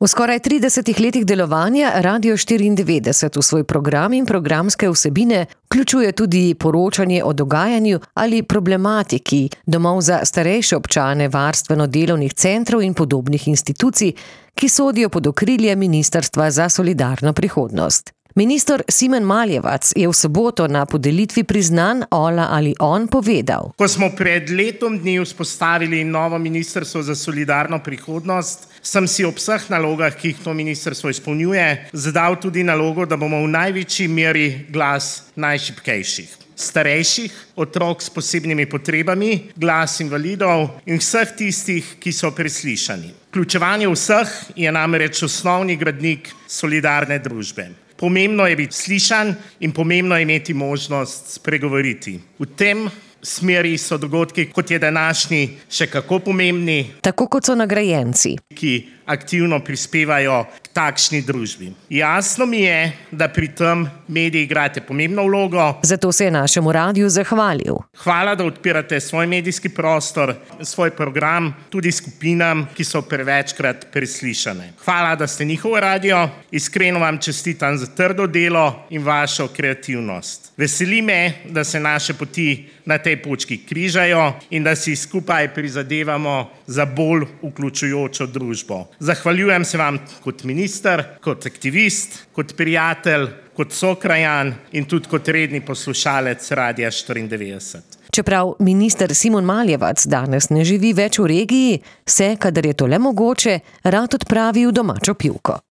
V skoraj 30 letih delovanja Radio 94 v svoj program in programske vsebine vključuje tudi poročanje o dogajanju ali problematiki domov za starejše občane, varstveno-delovnih centrov in podobnih institucij, ki sodijo pod okrilje Ministrstva za solidarno prihodnost. Minister Simon Maljevac je v soboto na podelitvi priznanj Ola ali on povedal: Ko smo pred letom dni vzpostavili novo Ministrstvo za solidarno prihodnost, sem si ob vseh nalogah, ki jih to ministrstvo izpolnjuje, zadal tudi nalogo, da bomo v največji meri glas najšibkejših. Starejših, otrok s posebnimi potrebami, glas invalidov in vseh tistih, ki so preslišani. Vključevanje vseh je namreč osnovni gradnik solidarne družbe. Pomembno je biti slišan in pomembno je imeti možnost spregovoriti. V tem smeri so dogodki, kot je današnji, še kako pomembni. Tako kot so nagrajenci, ki aktivno prispevajo k takšni družbi. Jasno mi je, da pri tem mediji igrate pomembno vlogo. Zato se je našemu radiu zahvalil. Hvala, da odpirate svoj medijski prostor, svoj program, tudi skupinam, ki so prevečkrat preslišane. Hvala, da ste njihov radio. Iskreno vam čestitam za trdo delo in vašo kreativnost. Veseli me, da se naše poti na tej točki križajo in da si skupaj prizadevamo za bolj vključujočo družbo. Zahvaljujem se vam kot minister, kot aktivist, kot prijatelj, kot sokrajan in tudi kot redni poslušalec Radia 94. Čeprav minister Simon Maljevac danes ne živi več v regiji, se, kadar je to le mogoče, rad odpravi v domačo pivko.